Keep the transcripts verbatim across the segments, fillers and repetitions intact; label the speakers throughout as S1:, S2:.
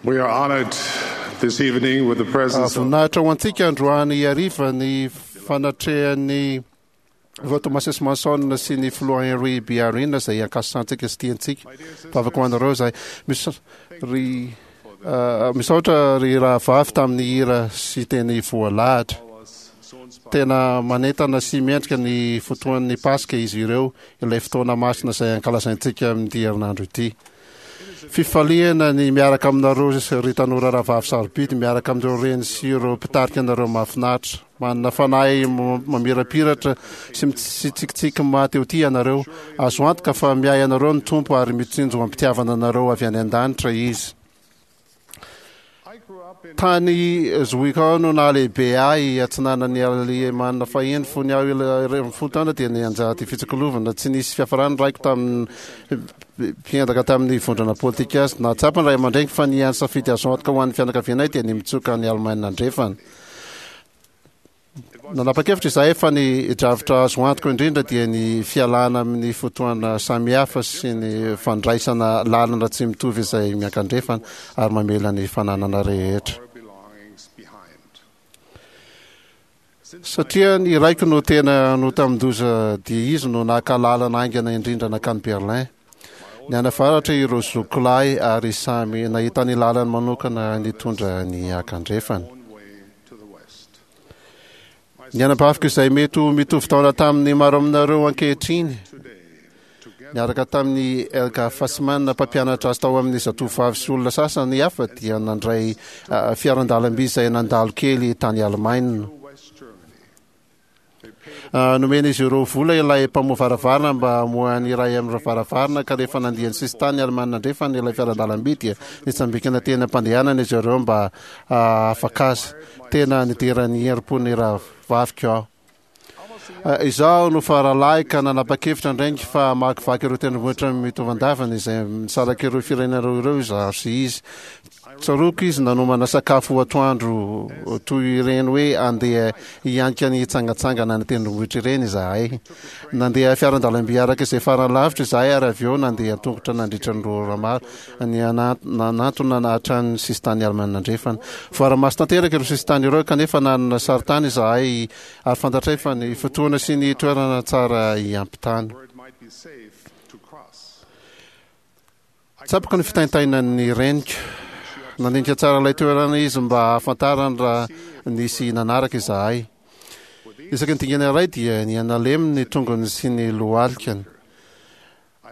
S1: We are honored this evening with the presence of
S2: Voninahitra ho antsika androany hariva ny fanatrehan'ny Filoha Thomas S. Monson sy ny Filoha Henry B. Eyring izay ankasitrahantsika sy tiantsika. Vavaka ho anareo izahay. Mis- ry ah, misaotra ry rahavavy tamin'ny hira sy teny voalahatra. Tena manentana sy mendrika ny fotoan'ny Paska izy ireo, ilay fotoana masina izay ankalazaintsika amin'ity herinandro ity. Fifaliana ny miaraka aminareo ry tanora rahavavy sarobidy, miaraka amin'ireo reny sy ireo mpitarika anareo mahafinaritra. Manana fanahy mamirapiratra sy mitsikitsiky maha te ho tia ianareo. Azo antoka fa miahy anareo ny Tompo ary mitsinjo am-pitiavana anareo avy any an-danitra Izy. Tany Zwickau no nahalehibe ahy, atsinanan'i Alemana fahiny. Fony aho iraika ambin'ny folo taona dia nianjady fitsikolovana tsy nisy fiafarany ny raiko tamin'ny mpiendaka tamin'ny vondrona politika azy. Nahatsapa ny ray aman-dreniko fa ny hany safidy azo antoka ho an'ny fianakavianay dia ny mitsoka any Alemaina Andrefana. Nanapa-kevitra izahay fa ny drafitra azo antoka indrindra dia ny fialana amin'ny fotoana samihafa sy ny fandraisana lalana tsy mitovy izay miankandrefana ary mamela ny fananana rehetra. Satria ny raiko no tena notamin-doza dia izy no naka lalana haingana indrindra nankany Berlin. Nianavaratra ireo zokiko lahy ary samy nahita ny lalany manokana nitondra ny akandrefana. Ny anabaviko izay mety ho mitovy taona tamin'ny maro aminareo ankehitriny, niaraka tamin'i Helga Fassmann, mpampianatra azy tao amin'ny Zatovovavy sy olona sasany hafa, dia nandray fiaran-dalamby izay nandalo kely tany Alemaina. Nomen'izy ireo vola ilay mpamoha varavarana mba hamoha ny iray amin'ireo varavarana, ka rehefa nandia ny sisin-tany Alemana Andrefana ilay fiaran-dalamby dia nitsambikina teny am-pandehanana izy ireo mba hahafaka azy. Tena nidera ny herim-pon'ny rahavaviko aho. Izaho no faralahy ka nanapa-kevitra an-draingy fa hamakivaky ireo tendrombohitra mitovan-davana izay misaraka ireo firenena roa ireo izaho sy izy. Tsaroako izy nanomana sakafo ho atoandro toy ireny hoe andeha hianika ny hitsangantsangana any an-tendrombohitra ireny izahay. Nandeha fiaran-dalamby araka izay farany lavitra izahay ary avy eo nandeha an-tongotra nandritra ny roa ora maro nanantona hatrany ny sisintany Alemana Andrefana. Voara-maso tanteraka ireo sisintany ireo kanefa nanana sarintany izahay ary fantatray fa ny fotoana sy ny toerana tsara hiampitana. Tsapako ny fitaintainan'ny reniko. Nandinika tsara ilay toerana izy mba hahafantarany raha nisy nanaraka izahay. Isaky ny dingana iray dia niha-nalemy ny tongony sy ny lohalikany.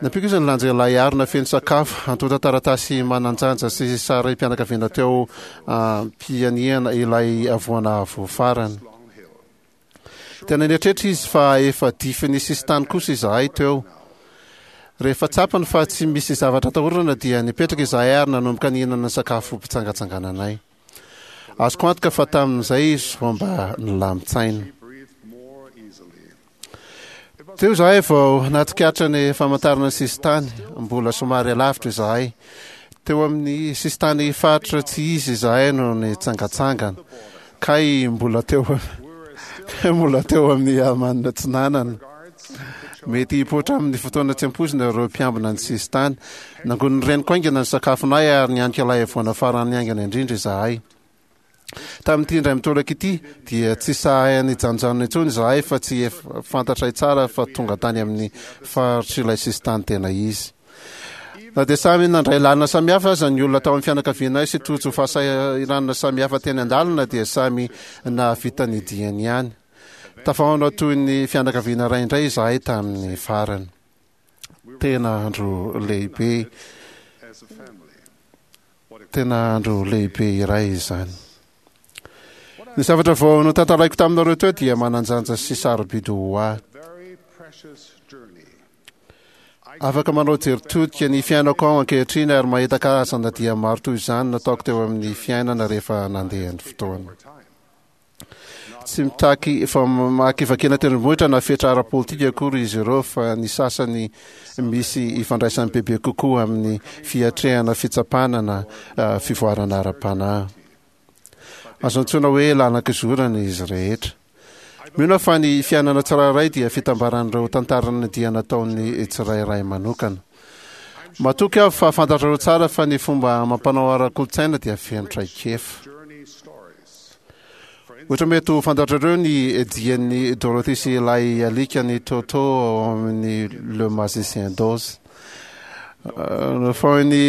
S2: Nampiako izy nilanja ilay harona feno sakafo, antontan-taratasy manan-janja sy sarim-pianakaviana teo am-pianihana ilay havoana avo farany. Tena nieritreritra izy fa efa difin'ny sisintany kosa izahay teo. Rehefa tsapany fa tsy misy zavatra atahorana dia nipetraka izahay ary nanomboka nihinana ny sakafo mpitsangatsangananay. Azoko antoka fa tamin'izay izy vao mba nilamin-tsaina. Teo izahay vao nahatsikaritra ny famantarana ny sisintany, mbola somary alavitra izahay. Teo amin'ny sisintany faritra tsy izy izahay no nitsangantsangana. Kay mbola teo kay mbola teo amin'ny Alemana Atsinanana. Mety hipoitra amin'ny fotoana tsy ampoizina ireo mpiambina ny sisintany. Nangonin'ny reniko haingana ny sakafonay ary nianika ilay havoana farany haingana indrindra izahay. Tamin'ity indray mitoraka ity dia tsy sahy nijanonjanona intsony izahay fa tsy efa fantatray tsara fa tonga tany amin'ny faritr'ilay sisintany tena izy. Na dia samy nandray lalana samihafa aza ny olona tao amin'ny fianakavianay sy tojo fahasahiranana samihafa teny an-dalana dia samy nahavita ny diany ihany. Tafahaona toy ny fianakaviana iray indray izahay tamin'ny farany. Tena andro lehibe. Tena andro lehibe iray izany. Ny zavatra vao notantaraiko taminareo teo dia manan-janja sy sarobidy ho ahy. Afaka manao jery todika ny fiainako aho ankehitriny ary mahita karazana dia maro toy izany nataoko teo amin'ny fiainana rehefa nandeha ny fotoana. Tsy mitaky famakivakiana tendrombohitra na fetra ara-politika akory izy ireo fa ny sasany misy ifandraisany bebe kokoa amin'ny fiatrehana fitsapana na fivoarana ara-panahy. Azo antsoina hoe lalan-kizorana izy rehetra. Mino aho fa ny fiainana tsirairay dia fitambaran'ireo tantaran'ny dia nataon'ny tsirairay manokana. Matoky aho fa fantatrareo tsara fa ny fomba amam-panao ara-kolontsaina dia feno traikefa.
S1: Journey stories.
S2: Ohatra, mety ho fantatrareo ny dian'ny Dorothy sy ilay alikany Toto ao amin'ny Le Magicien d'Oz. Fa ny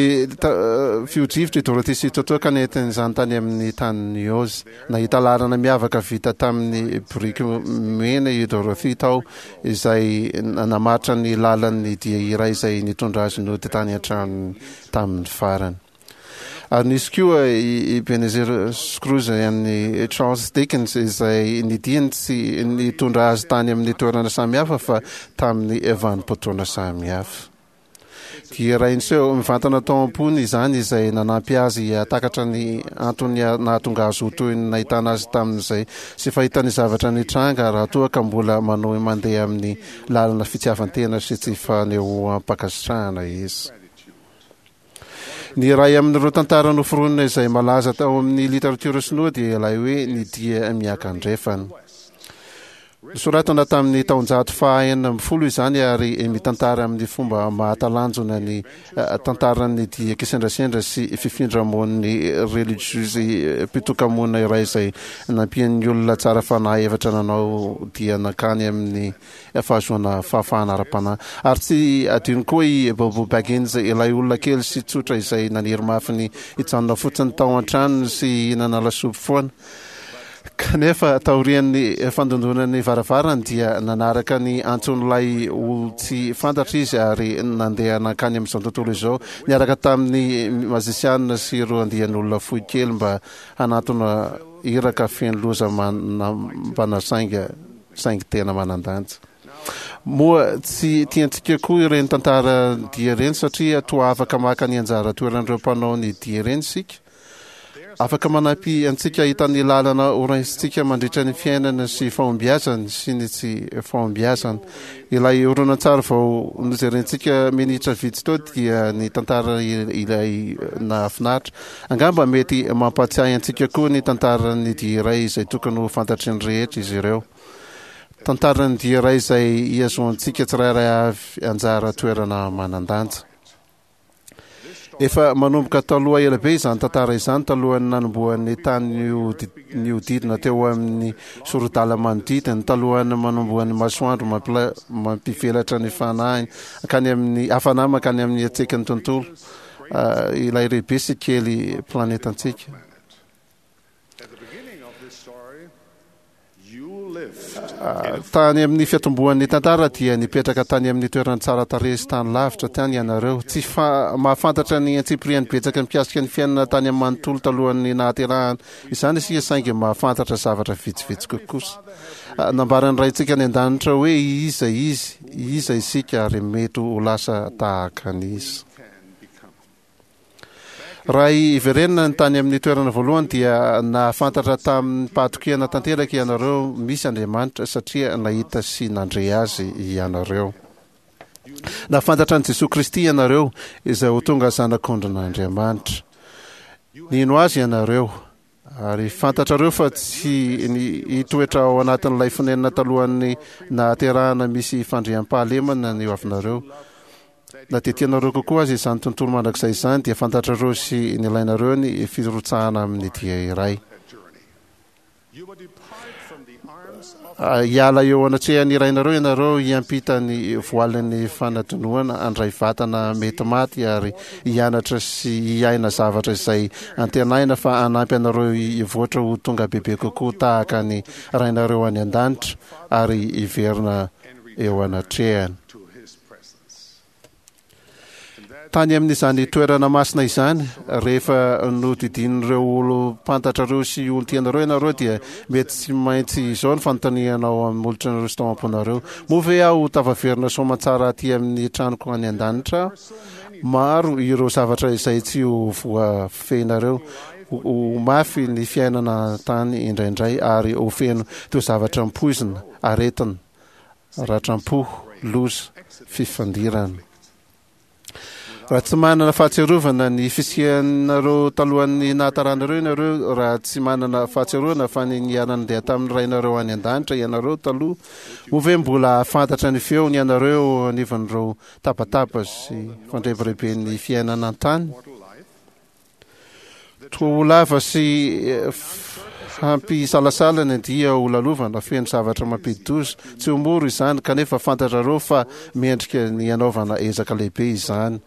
S2: fihodrivotra i Dorothy sy Toto ka nentin'izany tany amin'ny tanin'i Oz. Nahita lalana miavaka vita tamin'ny biriky mena i Dorothy tao, izay namaritra ny lalan'ny dia iray izay nitondra azy nody tany an-tranony tamin'ny farany. Ary nisy koa i Ebenezer Scrooge an'ny Charles Dickens, izay ny diany tsy nitondra azy tany amin'ny toerana samihafa fa tamin'ny vanim-potoana samihafa. Dia iray niseho mivantana tao am-pony izany, izay nanampy azy hahatakatra ny antony nahatonga azy ho toy ny nahitana azy tamin'izay sy fahitany zavatra nitranga raha toa ka mbola manohy mandeha amin'ny lalana fitiavan-tena sy tsy fanehoam-pankasitrahana izy. Ny iray amin'ireo tantara noforonina izay malaza tao amin'ny literatiora sinoa dia ilay hoe Ny Dia Miankandrefana. Nosoratana tamin'ny taonjato faha enina ambin'ny folo izany ary mitantara amin'ny fomba mahatalanjona ny tantaran'ny dia kisendrasendra sy fifindramonin'ny relijiozy mpitokamonina iray izay nampian'ny olona tsara fanahy efatra nanao dia nankany amin'ny fahazoana fahafahana ara-panahy. Ary tsy adino koa i Bilbo Baggins, ilay olona kely sy tsotra izay naniry mafy ny hijanona fotsiny tao an-tranony sy hihinana lasopy foana. Kanefa taorian'ny fandondonan'ny varavarany dia nanaraka ny antson'ilay olon-tsy fantatra izy ary nandeha nankany amin'izao tontolo izao niaraka tamin'ny mazisianina sy ireo andian'olona fohy kely mba hanatona iraka feno loza manambana sainga saingy tena manan-danja. Moa tsy tiantsika koa ireny tantara dia ireny satria toa afaka maka ny anjara toeran'ireo mpanao ny dia ireny isika? Afaka manampy antsika hahita ny lalana horaisintsika mandritra ny fiainana sy fahombiazany sy ny tsy fahombiazana. Ilay horonantsary vao nojerentsika minitra vitsy teo dia ny tantara ilay nahafinaritra. Angamba mety mampahatsiahy antsika koa ny tantaran'ny dia iray izay tokony ho fantatry ny rehetra izy ireo. Tantaran'ny dia iray izay ihazoantsika tsirairay avy anjara toerana manan-danja. Efa manomboka taloha ela be izany tantara izany, talohan'ny nanombohan'ny tany nihodidina teo amin'ny sorodala manodidina, talohan'ny manombohan'ny masoandro mampila- mampivelatra ny fanahiny hankany amin'ny hafana mankany amin'ny hatsiaky ny tontolo, ilay lehibe sy kely planetantsika.
S1: At the beginning of this story, you lived
S2: Tany amin'ny fiatombohan'ny tantara dia nipetraka tany amin'ny toerana tsara tarehy sy tany lavitra tany ianareo. Tsy fa mahafantatra ny antsipiriany betsaka mikasika ny fiainana tany amin'ny manontolo talohan'ny nahaterahana izany isika, saingy mahafantatra zavatra vitsivitsy kokosa. Nambaran'ny Raintsika any an-danitra hoe iza izy, iza isika, ary mety ho lasa tahaka an'iza.
S1: can become.
S2: Raha iverenana ny tany amin'ny toerana voalohany dia nahafantatra tamin'ny fahatokiana tanteraka ianareo misy Andriamanitra satria nahita sy nandre azy ianareo. Nahafantatra an'i Jesosy Kristy ianareo, izay ho tonga zanak'ondrin'Andriamanitra. Nino azy ianareo, ary fantatrareo fa tsy ny hitoetra ao anatin'ilay fonenana talohan'ny nahaterahana misy fandriampahalemana ny hoavinareo. Na dia tianareo kokoa azy izany tontolo mandrakizay izany, dia fantatrareo sy nilainareo ny firotsahana amin'ny dia iray.
S1: A journey. You will depart from the arms of
S2: Hiala eo anatrehan'ny rainareo ianareo, hiampita ny voalin'ny fanadinoana, handray vatana mety maty ary hianatra sy hiaina zavatra izay antenaina fa hanampy anareo hivoatra ho tonga bebe kokoa tahaka ny rainareo any an-danitra ary hiverina eo anatrehany.
S1: to his presence. And that
S2: Tany amin'izany toerana masina izany, rehefa nodidin'ireo olom-pantatrareo sy olon-tianareo ianareo, dia mety tsy maintsy izao ny fanontanianao amin'ny molotranareo sy tao am-ponareo: Moa ve aho tafaverina soamantsara aty amin'ny tranoko any an-danitra? Maro ireo zavatra izay tsy ho voafehinareo. Ho ho mafy ny fiainana tany indraindray ary ho feno toa zavatra mipoizina, aretina, ratram-po, loza, fifandirana. Raha tsy manana fahatsiarovana ny fisianareo talohan'ny nahataranareo ianareo, raha tsy manana fahatsiarovana fa ny niara-nandeha tamin'ny Rainareo any an-danitra ianareo taloha, moa ve mbola hahafantatra ny feony ianareo anivon'ireo tabataba sy fandrebireben'ny fiainana an-tany? Toa ho lava sy hampisalasala ny dia ho lalovana feno zavatra mampidi-doza. Tsy ho mora izany, kanefa fantatrareo fa mendrika ny hanaovana ezaka lehibe izany.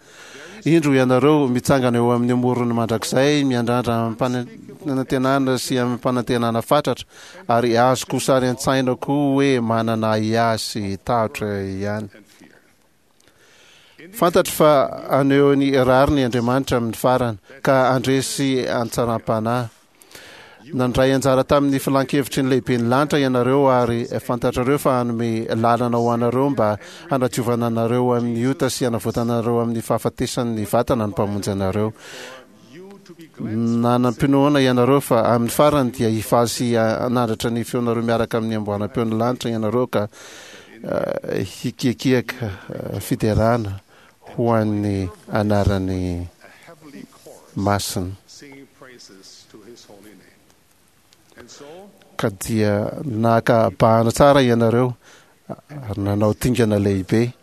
S2: Indro ianareo mitsangana eo amin'ny morony mandrakizay, miandrandra amim-panantenana sy amim-panantenana fatratra, ary azoko sary an-tsaina koa hoe manana ahiahy sy tahotra ihany. Fantatro fa haneho ny rariny Andriamanitra amin'ny farany, ka handresy an-tsaram-panahy. Nandray anjara tamin'ny filan-kevitry ny lehiben'ny lanitra ianareo, ary fantatrareo fa hanome lalana ho anareo mba hanadiovana anareo amin'ny ota sy hanavotana anareo amin'ny fahafatesan'ny vatana ny Mpamonjy anareo. Nanam-pinoana ianareo fa amin'ny farany dia hifaly sy hanandratra ny feonareo miaraka amin'ny amboaram-peon'ny lanitra ianareo, ka hikiakiaka fiderana ho an'ny anarany masina. Ka dia naka bahana tsara ianareo ary nanao dingana lehibe,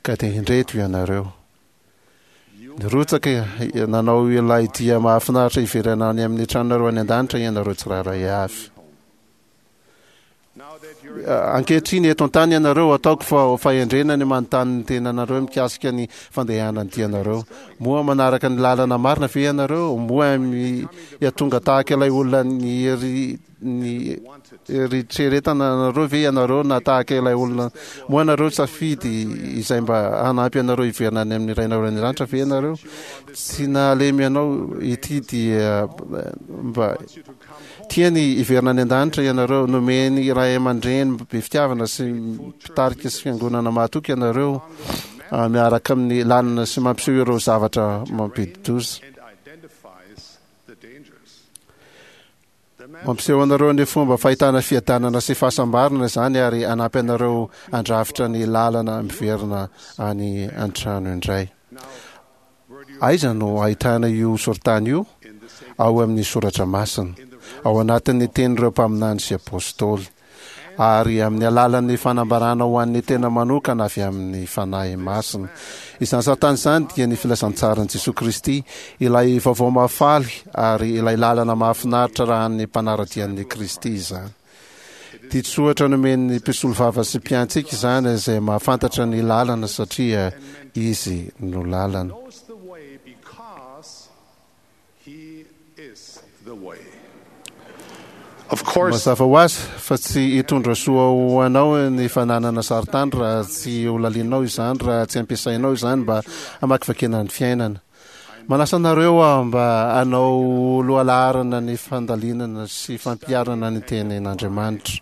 S2: ka dia indreto ianareo. Nirotsaka nanao ilay dia mahafinaritra hiverina any amin'ny tranonareo any an-danitra ianareo tsirairay avy. Ankehitriny eto an-tany ianareo, ataoko fa fahendrena ny manontany ny tenanareo mikasika ny fandehanan'ny dianareo. Moa manaraka ny lalana marina ve ianareo? Moa mihatonga tahaka ilay olona ny ny eritreretana anareo ve ianareo, na tahaka ilay olona? Moa ianareo safidy izay mba hanampy anareo hiverina any amin'ny Rainareo any an-danitra ve ianareo? Tsy nahalemy anao ity dia mba tiany hiverina any an-danitra ianareo. Nomeny ray aman-dreny be fitiavana sy mpitarika sy fiangonana mahatoky ianareo, miaraka amin'ny lalana sy mampiseho ireo zavatra mampidi-doza. Mampiseho anareo ny fomba fahitana fiadanana sy fahasambarana izany, ary hanampy anareo handrafitra ny lalana miverina any an-trano indray. Aiza no ahitana io sorotany io? Ao amin'ny Soratra Masina, ao anatin'ny tenin'ireo mpaminany sy apôstôly, ary amin'ny alalan'ny fanambarana ho an'ny tena manokana avy amin'ny Fanahy Masina. Izany sarintany izany dia ny filazantsaran'i Jesoa Kristy, ilay vaovao mahafaly ary ilay lalana mahafinaritra raha ny mpanara-dia an'i Kristy izany. Ditsohatra nomen'ny mpisolovava sy mpiantsika izany, izay mahafantatra ny lalana satria izy no lalana. Mazava ho azy fa tsy hitondra soa ho anao ny fananana sarintany raha tsy holalininao izany, raha tsy ampiasainao izany mba hamakivakiana ny fiainana. Manasa anareo aho mba hanao lohalaharana ny fandalinana sy fampiharana ny tenin'Andriamanitra.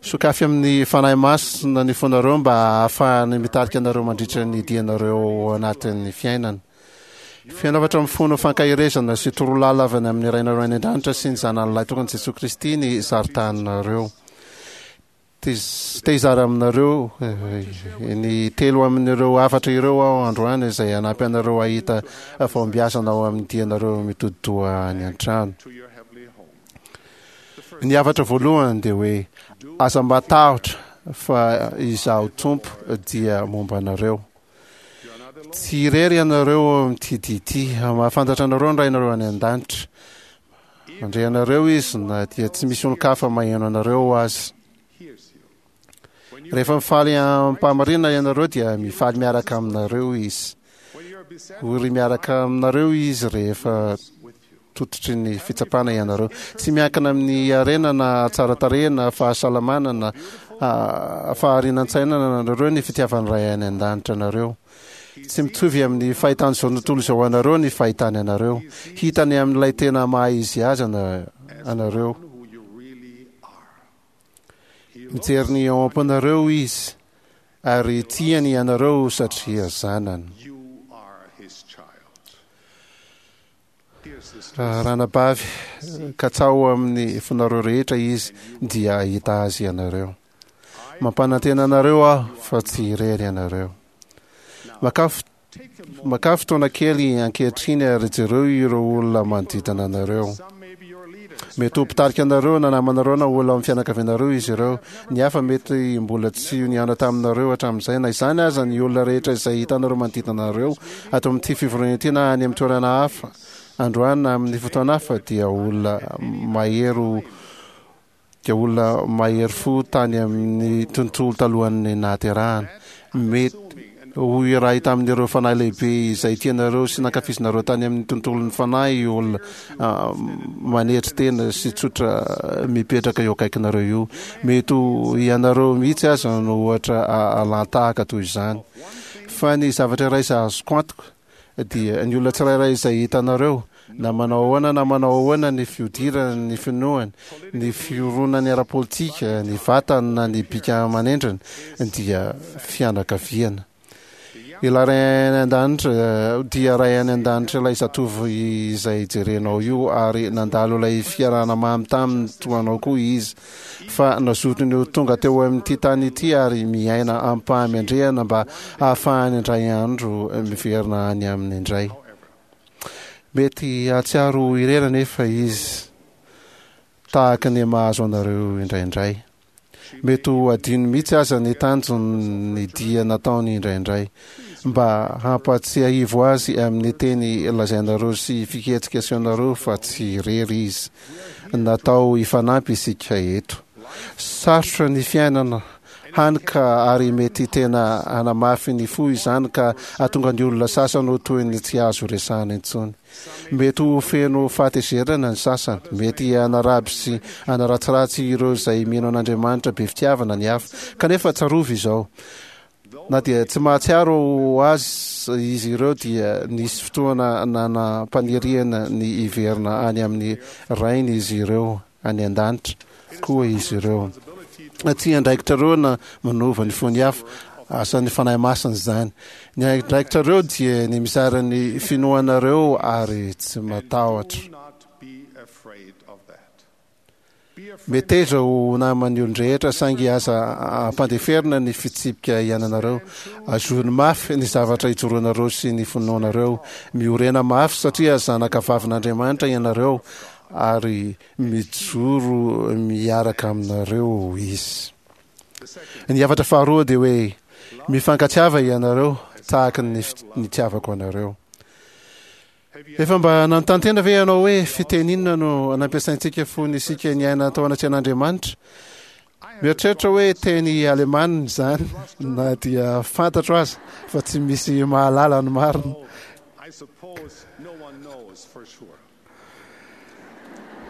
S2: Sokafy amin'ny Fanahy Masina ny fonareo mba hahafahany mitarika anareo mandritra ny dianareo ao anatin'ny fiainana. Feno hafatra mifono fankaherezana sy torolala avy any amin'ny Rainareo any an-danitra sy ny Zanany Lahitokana Jesoa Kristy ny sarin-taninareo. Te hizara aminareo ny telo amin'ireo hafatra ireo aho androany, izay hanampy anareo hahita fahombiazana ao amin'ny dianareo mitodi-doha any an-trano. Ny hafatra voalohany dia hoe aza matahotra fa izaho Tompo dia momba anareo. Tsy irery ianareo amin'ity dia ity. Mahafantatra anareo ny Rainareo any an-danitra. Mandre anareo izy na dia tsy misy olon-kafa maheno anareo aza. Rehefa mifaly am-pahamarinana ianareo dia mifaly miaraka aminareo izy. Ory miaraka aminareo izy rehefa tototry ny fitsapana ianareo. Tsy miankina amin'ny harena na tsara tarehy na fahasalamana na faharinan-tsaina anareo ny fitiavan'ny Ray any an-danitra anareo. Tsy mitovy amin'ny fahitan'izao tontolo izao anareo ny fahitany anareo. Hitany amin'ilay tena maha izy azy anareo. Mijery ny ao am-ponareo izy, ary tiany ianareo satria zanany. Ranabavy, katsaho amin'ny fonareo rehetra izy dia hahita azy ianareo. Mampanantena anareo aho fa tsy irery ianareo. Makà makà fotoana kely ankehitriny ary jereo ireo olona manodidina anareo. Mety ho mpitarika anareo na namanareo na olona amin'ny fianakavianareo izy ireo. Ny hafa mety mbola tsy nihaona taminareo hatramin'izay. Na izany aza, ny olona rehetra izay hitanareo manodidina anareo ato amin'ity fivoriana ity na any amin'ny toerana hafa androany na amin'ny fotoana hafa dia olona mahery dia olona mahery fo tany amin'ny tontolo talohan'ny nahaterahana. Mety ho iray tamin'ireo fanahy lehibe izay tianareo sy nankafizinareo tany amin'ny tontolon'ny fanahy io olona manetry tena sy tsotra mipetraka eo akaikinareo io. Mety ho ianareo mihitsy aza no ohatra alan-tahaka toy izany. Fa ny zavatra iray izay azoko antoka dia ny olona tsirairay izay hitanareo, na manao ahoana na manao ahoana ny fihodirany, ny finoany, ny fironany ara-politika, ny vatany na ny bika aman'endriny, dia fianakaviana. Ilay Ray any An-danitra dia Ray any An-danitra ilay zatovo izay jerenao io, ary nandalo ilay fiarahana mamy taminy toa anao koa izy, fa nazotony ho tonga teo amin'ity tany ity ary miaina amim-pahamendrehana mba hahafahany indray andro miverina any aminy indray. Mety hahatsiaro ho irery anefa izy, tahaka ny mahazo anareo indraindray. Mety ho adino mihitsy aza ny tanjon'ny dia nataony indraindray. Mba hampatsiahivo azy amin'ny teny lazainareo sy fihetsika asehonareo fa tsy irery izy. Natao hifanampy isika eto. Sarotra ny fiainana, hany ka ary mety tena hanamafy ny fo izany ka hahatonga ny olona sasany ho toy ny tsy azo resahana intsony. Mety ho feno fahatezerana ny sasany. Mety hanaraby sy hanaratsiratsy ireo izay mino an'Andriamanitra be fitiavana ny hafa. Kanefa tsarovy izao, na dia tsy mahatsiaro ho azy izy ireo dia nisy fotoana nanam-paniriana ny hiverina any amin'ny Rainy izy ireo any an-danitra koa izy ireo. Tsy andraikitrareo na manova ny fon'ny hafa, asan'ny Fanahy Masina izany. Ny andraikitrareo dia ny mizara ny finoanareo ary tsy matahotra. Meteza ho naman'ny olon-drehetra, saingy aza ampandeferina ny fitsipika iainanareo. Azony mafy ny zavatra ijoroanareo sy ny finoanareo. Miorena mafy satria zanaka vavin'Andriamanitra ianareo ary mijoro miaraka aminareo Izy. Ny hafatra faharoa dia hoe mifankatiava ianareo tahaka ny nitiavako anareo. Efa mba nanontany tena ve ianao hoe fiteny inona no nampiasaintsika fony isika niaina tao anatrehan'Andriamanitra? Mieritreritra hoe teny alemana izany, na dia fantatro aza fa tsy misy mahalala ny marina.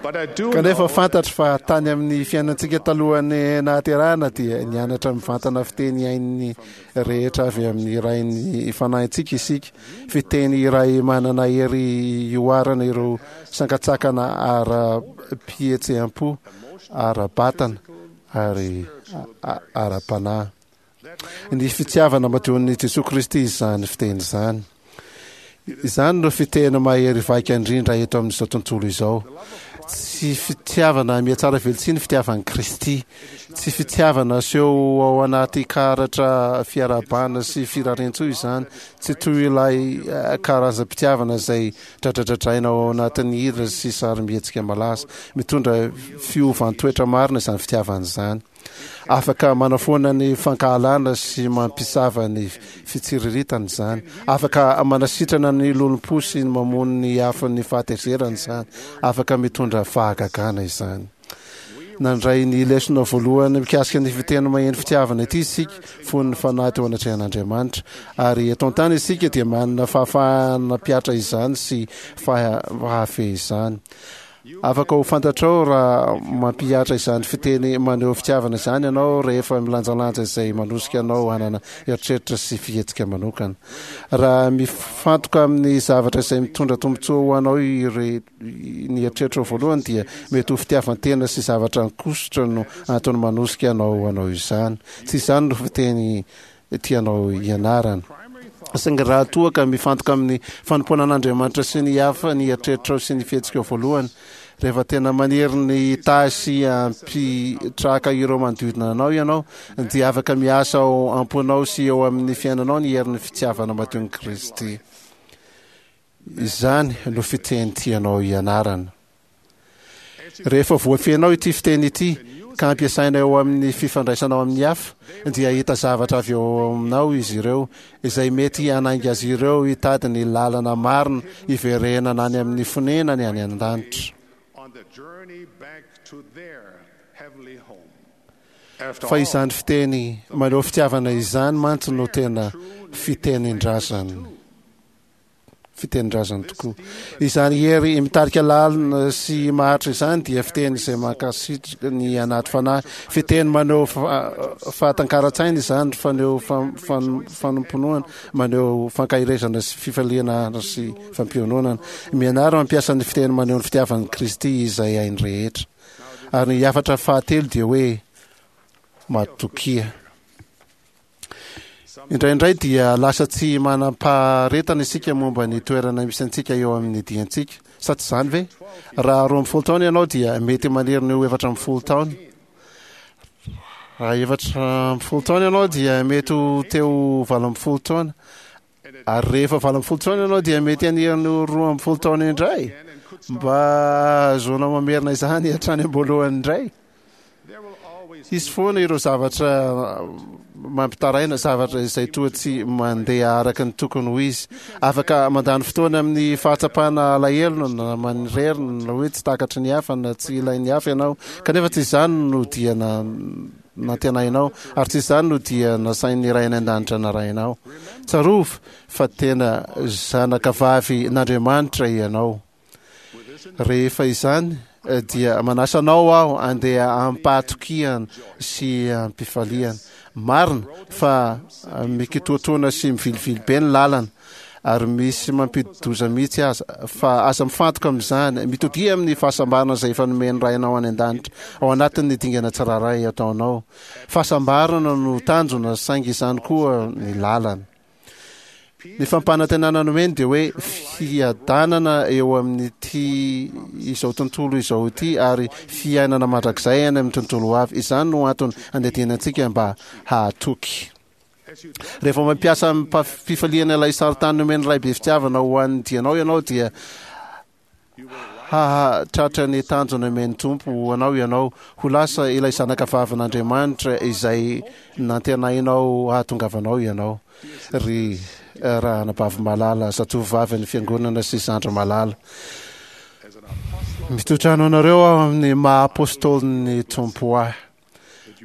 S2: Kanefa fantatro fa tany amin'ny fiainantsika talohan'ny nahaterahana dia nianatra mivantana fiteny hain'ny rehetra avy amin'ny Rain'ny fanahintsika isika, fiteny iray manana hery hihoarana ireo sankantsakana ara-pihetseham-po, ara-batana ary ara-panahy. Ny fitiavana madion'i Jesoa Kristy izany fiteny izany. Izany no fiteny mahery vaika indrindra eto amin'izao tontolo izao. Tsy fitiavana mihatsara velatsihy ny fitiavan'i Kristy. Tsy fitiavana aseho ao anaty karatra fiarahabana sy firariantsoa izany. Tsy toy ilay eh, karazam-pitiavana izay dradradradraina ao anatin'ny hira sy sarimihetsika malaza. Mitondra fiovan-toetra marina izany fitiavana izany. Afaka manafoana ny fankahalana sy mampisava ny fitsiriritana izany. Afaka manasitrana ny lolompo sy ny mamono ny afon'ny fahatezerana izany. Afaka mitondra fahagagana izany. Nandray ny lesona voalohany mikasika ny fiteny maheno fitiavana ity isika fony ny fanahy teo anatrehan'Andriamanitra. Ary eto an-tany isika dia manana fahafahana mpiatra izany sy fahafehy izany. Afaka ho fantatrao raha mampihatra izany fiteny maneho fitiavana izany ianao rehefa milanjalanja izay manosika anao hanana eritreritra sy fihetsika manokana. Raha mifantoka amin'ny zavatra izay mitondra tombontsoa ho anao ire, ny eritreritrao voalohany dia mety ho fitiavan-tena sy zavatra ankosotra no antony manosika anao hanao izany. Tsy izany no fiteny tianao hianarana. Saingy raha toa ka mifantoka amin'ny fanompoana an'Andriamanitra sy ny hafa ny eritreritrao sy ny fihetsikao voalohany, Rehefa tena maniry ny hitahy sy hampitraka ireo manodidina anao ianao, dia afaka miasa ao am-ponao sy eo amin'ny fiainanao ny herin'ny fitiavana madion'i Kristy. Izany no fiteny tianao hianarana. Rehefa voafehinao ity fiteny ity ka ampiasaina eo amin'ny fifandraisanao amin'ny hafa, dia hahita zavatra avy eo aminao izy ireo izay mety hanainga azy ireo hitady ny lalana marina hiverenana any amin'ny fonenany any an-danitra.
S1: On the journey back to their heavenly home. After
S2: Fa
S1: all,
S2: izany fiteny maneho fitiavana izany mantsy no tena fitenin-drazany. Fitenin-drazany tokoa. Izany hery mitarika lalina sy maharitra izany dia fiteny izay mankasitraka ny anaty fanahy. Fiteny maneho fa- fahatakaran-tsaina izany, faneho fam- fan- fanomponoana, maneho fankaherezana sy fifaliana sy fampiononana. Mianara mampiasa ny fiteny maneho ny fitiavan'i Kristy izay hainy rehetra. Ary ny hafatra fahatelo dia hoe matokia. Indraindray dia lasa tsy manam-paharetana isika momba ny toerana misy antsika eo amin'ny diantsika. Sa tsy izany ve? Raha roa amby folo taona ianao dia mety maniry ny ho efatra amby folo taona. Raha efatra amby folo taona ianao dia mety ho teo valo amby folo taona. Ary rehefa valo amby folo taona ianao dia mety haniry ny ho roa amby folo taona indray. Mba ahazoanao mamerina izany hatrany am-boalohany indray.
S1: there will always
S2: Hisy foana ireo zavatra mampitaraina, zavatra izay toa tsy mandeha araka ny tokony ho izy. Afaka mandany fotoana amin'ny fahatsapana alahelo na manirery na hoe tsy takatry ny hafa na tsy ilain'ny hafa ianao. Kanefa tsy izany no dia na nantenainao, ary tsy izany no dia nasain'ny Ray any an-danitra narahinao. Tsarovy fa tena zanaka vavy n'Andriamanitra ianao. Rehefa izany eh, dia manasa anao aho andeha am-pahatokiana sy am-pifaliana. Marina fa eh, mikitoatoana sy mivilivily be ny lalana ary misy mampidi-doza mihitsy aza, fa aza mifantoka amin'izany. Mitodia amin'ny fahasambarana izay efa nomen'ny Rainao any an-danitra ao anatin'ny dingana tsirairay ataonao. Fahasambarana no tanjona, saingy izany koa ny lalana. Ny fampanantenana nomeny dia hoe fiadanana eo amin'ity izao tontolo izao ity ary fiainana mandrakizay any amin'ny tontolo ho avy. Izany no antony andidiana antsika mba hahatoky. Rehefa mampiasa amim-pifaliana ilay sarintany nomen'ny Ray be fitiavana ho an'ny dianao ianao, dia hahatratra ny tanjona nomen'ny Tompo ho anao ianao, ho lasa ilay zanaka vavin'Andriamanitra izay nantenainao hahatongavanao ianao. Ry ranabavy malala, zatovovavy ny fiangonana sy zandry malala, mitotrano anareo aho amin'ny maha apôstôlin'ny Tompo ahy,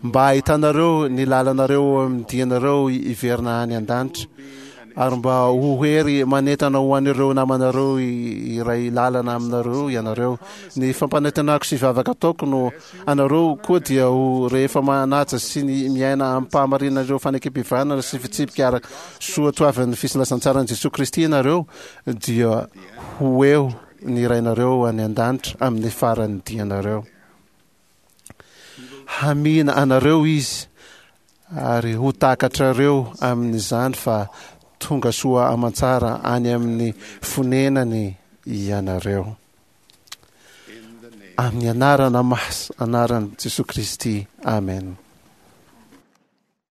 S2: mba hahitanareo ny lalanareo amin'ny dianareo hiverina any an-danitra, ary mba ho hery manentana ho an'ireo namanareo iray lalana aminareo ianareo. Ny fampanantenako sy vavaka ataoko no anareo koa dia ho rehefa manaja sy ny miaina am-pahamarinana ireo fanekempihavanana sy fitsipika araka soatoavin'ny filazantsaran'i Jesoa Kristy ianareo, dia ho eo ny Rainareo any an-danitra amin'ny faran'ny dianareo. Hamihina anareo izy ary ho takatrareo amin'izany fa tonga soa aman-tsara any amin'ny fonenany ianareo. Amin'ny anarana mas anaran'i Jesoa Kristy. Amen.